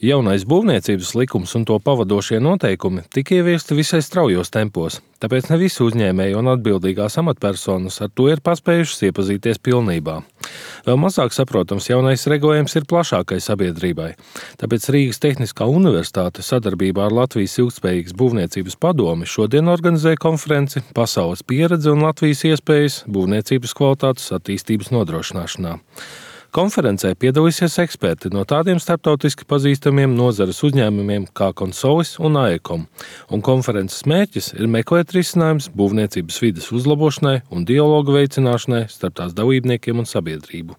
Jaunais būvniecības likums un to pavadošie noteikumi tika ieviesti visai straujos tempos, tāpēc ne visi uzņēmēji un atbildīgās amatpersonas ar to ir paspējušas iepazīties pilnībā. Vēl mazāk saprotams jaunais regulējums ir plašākai sabiedrībai, tāpēc Rīgas Tehniskā universitāte sadarbībā ar Latvijas ilgtspējīgas būvniecības padomi šodien organizē konferenci Pasaules pieredze un Latvijas iespējas būvniecības kvalitātes attīstības nodrošināšanā. Konferencē piedalīsies eksperti no tādiem starptautiski pazīstamiem nozares uzņēmumiem kā Consolis un AECOM, un konferences mērķis ir meklēt risinājumus būvniecības vides uzlabošanai un dialogu veicināšanai starp tās dalībniekiem un sabiedrību.